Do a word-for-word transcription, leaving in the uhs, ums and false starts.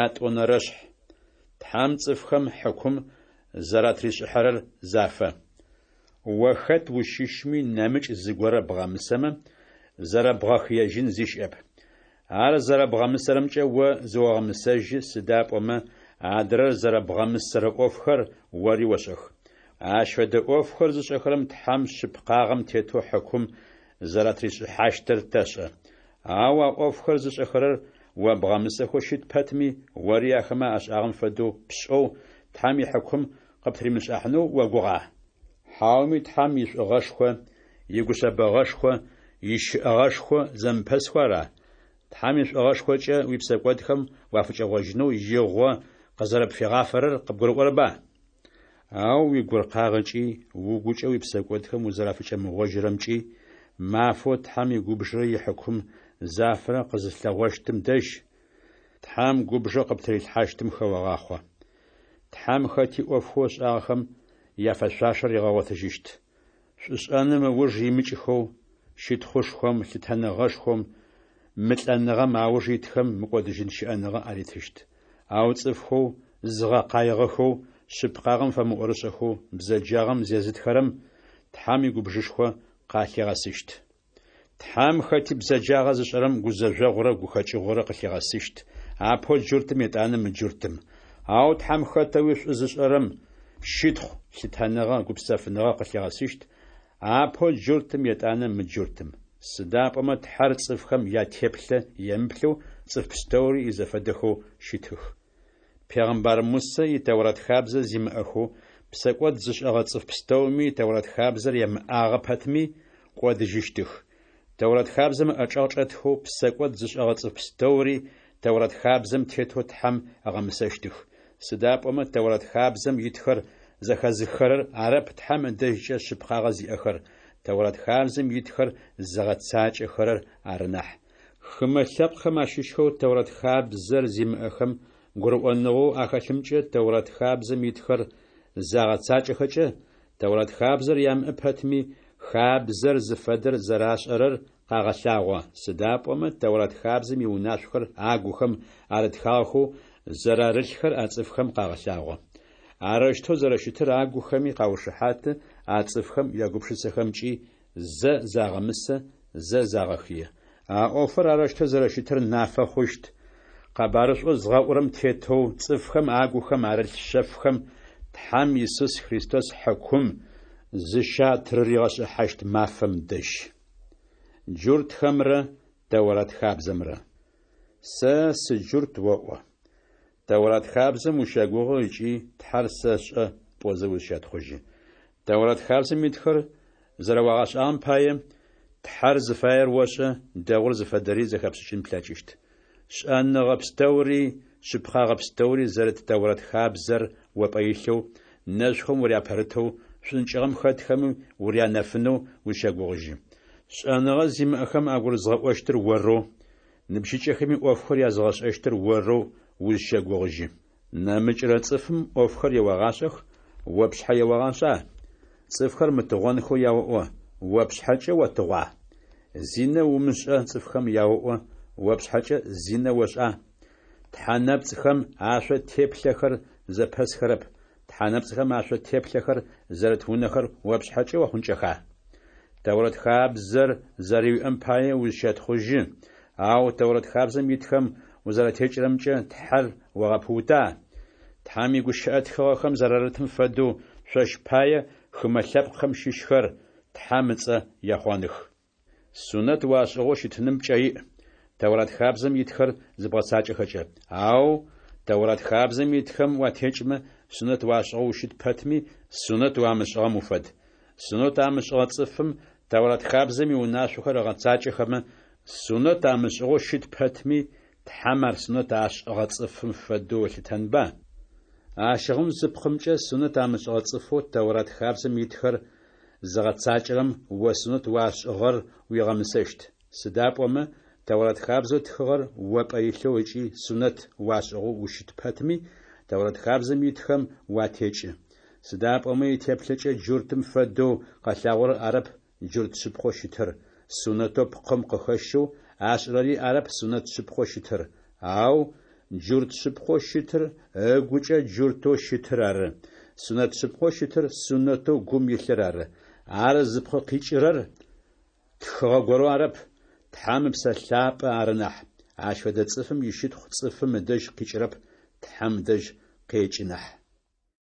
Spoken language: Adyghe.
Ятӏонэрэшъхь. Тхьэм цӏыфхэм хьыкум зэратришӏыхьэрэр зафэ. О хэт ущыщми, нэмыкӏ зыгорэ бгъэмысэмэ, зэрэбгъэхыежьын зи щыӏэп. Ар зэрэбгъэмысэрэмкӏэ о зыогъэмысэжьы, сыда пӏомэ адрэр зэрэбгъэмысэрэ ӏофхэр ори ошӏэх. Ащ фэдэ ӏофхэр зышӏэхэрэм Тхьэм шъыпкъагъэм тетэу хьыкум зэратришӏыхьащтыр тэшӏэ. Ау а ӏофхэр зышӏэхэрэр о бгъэмысэхэу щыт пэтми, ори ахэмэ ашӏагъэм фэдэу пшӏэу, Тхьэм ихьыкум къыптыримышӏыхьанэу огугъа? Хьауми Тхьэм ишӏугъэшхо, игушъэбэгъэшхо, ищыӏэгъэшхо зэмыпэсхэу ара? Тхьэм ишӏугъэшхокӏэ уипсэкӏодхэм уафыкӏэгъожьынэу игъо къызэрэпфигъафэрэр къыбгурыӏорэба? Ау уигуркъагъэкӏи, угукӏэ уипсэкӏодхэм узэрафыкӏэмыгъожьырэмкӏи мафэу Тхьэм игубжырэ ихьыкум зафэрэ къызылъэгъощтым дэжь, Тхьэм губжэу къыптырилъхьащтым хэогъахъо. Тхьэм хэти ӏофхэу ышӏагъэхэм яфэшъуашэр ригъэгъотыжьыщт. Шӏушӏэным ыуж имыкӏхэу, щытхъушхом, лъытэныгъэшхом, мылӏэныгъэм ауж итхэм мыкӏодыжьын щыӏэныгъэ аритыщт. Ау цӏыфхэу зызгъэкъаигъэхэу, шъыпкъагъэм фэмыӏорышӏэхэу, бзэджагъэм зезытхэрэм Тхьэм игубжышхо къалъигъэсыщт. Тхьэм хэти бзэджагъэ зышӏэрэм гузэжъогъурэ гухэкӏыгъорэ къылъигъэсыщт, апэу джуртым етӏанэ мыджуртым. Ау Тхьэм хэтэуи шӏу зышӏэрэм щытхъу, лъытэныгъэ, гупсэфыныгъэ къылъигъэсыщт, апэу джуртым етӏанэ мыджуртым. Сыда пӏомэ Тхьэр цӏыфхэм ятеплъэ емыплъэу цӏыф пстэури изэфэдэхэу щытых. Пегъымбар Мусэ и Тэурат хабзэ зимыӏэхэу, псэкӏод зышӏэгъэ цӏыф пстэуми Тэурат хабзэр ямыӏагъэ пэтми, кӏодыжьыщтых. Тэурат хабзэм ыӏэчӏэгъ чӏэтхэу псэкӏод зышӏэгъэ цӏыф пстэури Тэурат хабзэм тетэу Тхьэм ыгъэмысэщтых. Сыда пӏомэ Тэурат хабзэм итхэр зэхэзыххэрэр арэп Тхьэм ыдэжькӏэ шъыпкъагъэ зиӏэхэр, Тэурат хабзэм итхэр зыгъэцакӏэхэрэр ары нахь. Хымэ лъэпкъхэм ащыщхэу Тэурат хабзэр зимыӏэхэм гурыӏоныгъэу ахэлъымкӏэ Тэурат хабзэм итхэр загъэцакӏэхэкӏэ, Тэурат хабзэр ямыӏэ пэтми, хабзэр зыфэдэр зэрашӏэрэр къагъэлъагъо, сыда пӏомэ Тэурат хабзэм иунашъохэр агухэм арытхагъэхэу зэрарылъхэр а цӏыфхэм къагъэлъагъо. Арэущтэу зэрэщытыр агухэми къаушыхьаты, а цӏыфхэм ягупшысэхэмкӏи зэ загъэмысэ, зэ загъэхые. А ӏофыр арэущтэу зэрэщытыр нафэ хъущт, къэбарышӏоу згъэӏурэм тетэу, цӏыфхэм агухэм арылъ шъэфхэм Тхьэм Исус Христос хьыкум зыщатрыригъэшӏыхьащт мафэм дэжь. Джуртхэмрэ Тэурат хабзэмрэ. Сэ сыджурт оӏо. Тэурат хабзэм ущэгугъы ыкӏи Тхьэр сэшӏэ пӏозэ узщэтхъужьы. Тэурат хабзэм итхэр зэрэуагъэшӏагъэм пае, Тхьэр зыфаер ошӏэ, дэгъур зыфэдэри зэхэпшӏыкӏын плъэкӏыщт. Шӏэныгъэ пстэури, шъыпкъагъэ пстэури зэрыт Тэурат хабзэр о пӏэ илъэу, нэшъухэм уряпэрытэу, шӏункӏыгъэм хэтхэми урянэфынэу узщэгугъыжьы. Шӏэныгъэ зимыӏэхэм агурызгъэӏощтыр орэу, ныбжьыкӏэхэми ӏофхэр языгъэшӏэщтыр орэу узщэгугъыжьы. Нэмыкӏырэ цӏыфым ӏофхэр еогъашӏэх, о пшъхьэ еогъашӏа? Цӏыфхэр мытыгъонхэу яоӏо, о пшъхьэкӏэ отыгъуа? Зинэ умышӏэ цӏыфхэм яоӏо, о пшъхьэкӏэ зинэ ошӏа? Тхьэ нэпцӏхэм ашъо теплъэхэр зэпэсхэрэп, тхьэ нэпцӏхэм ашъо теплъэхэр зэрыт унэхэр о пшъхьэкӏэ охъункӏэха? Тэурат хабзэр зэрэуиӏэм пае узщэтхъужьы, ау Тэурат хабзэм итхэм узэратекӏырэмкӏэ Тхьэр огъэпыута? Тхьэм игущыӏэ тхыгъэхэм зэрарытым фэдэу, шъощ пае хымэ лъэпкъхэм щыщхэр Тхьэм ыцӏэ ехъоных. Сунэт уашӏыгъэу щытыным пкӏэ иӏ, Тэурат хабзэм итхэр зыбгъэцакӏэхэкӏэ. Ау Тэурат хабзэм итхэм уатекӏмэ, сунэт уашӏыгъэу ущыт пэтми, сунэт уамышӏыгъэм уфэд. Сунэт амышӏыгъэ цӏыфым Тэурат хабзэм иунашъохэр ыгъэцакӏэхэмэ, сунэт амышӏыгъэу щыт пэтми, Тхьэм ар сунэт ашӏыгъэ цӏыфым фэдэу ылъытэнба? Ащыгъум зы пкъымкӏэ сунэт амышӏыгъэ цӏыфэу Тэурат хабзэм итхэр зыгъэцакӏэрэм о сунэт уашӏыгъэр уигъэмысэщт. Сыда пӏомэ Тэурат хабзэу тхыгъэр о пӏэ илъэу ыкӏи сунэт уашӏыгъэу ущыт пэтми, Тэурат хабзэм итхэм уатекӏы. Сыда пӏомэ итеплъэкӏэ джуртым фэдэу къэлъагъорэр арэп джурт шъыпкъэу щытыр, сунэтэу пкъым къыхэщэу ашӏырэри арэп сунэт шъыпкъэу щытыр, ау Джурт шъыпкъэу щытыр ыгукӏэ джуртэу щытыр ары. Сунэт шъыпкъэу щытыр сунэтэу гум илъыр ары. Ар зыпкъ къикӏырэр тхыгъэ горэу арэп, Тхьэм Ыпсэ Лъапӏэ ары нахь. Ащ фэдэ цӏыфым ищытхъу цӏыфым ыдэжь къикӏырэп, Тхьэм ыдэжь къекӏы нахь.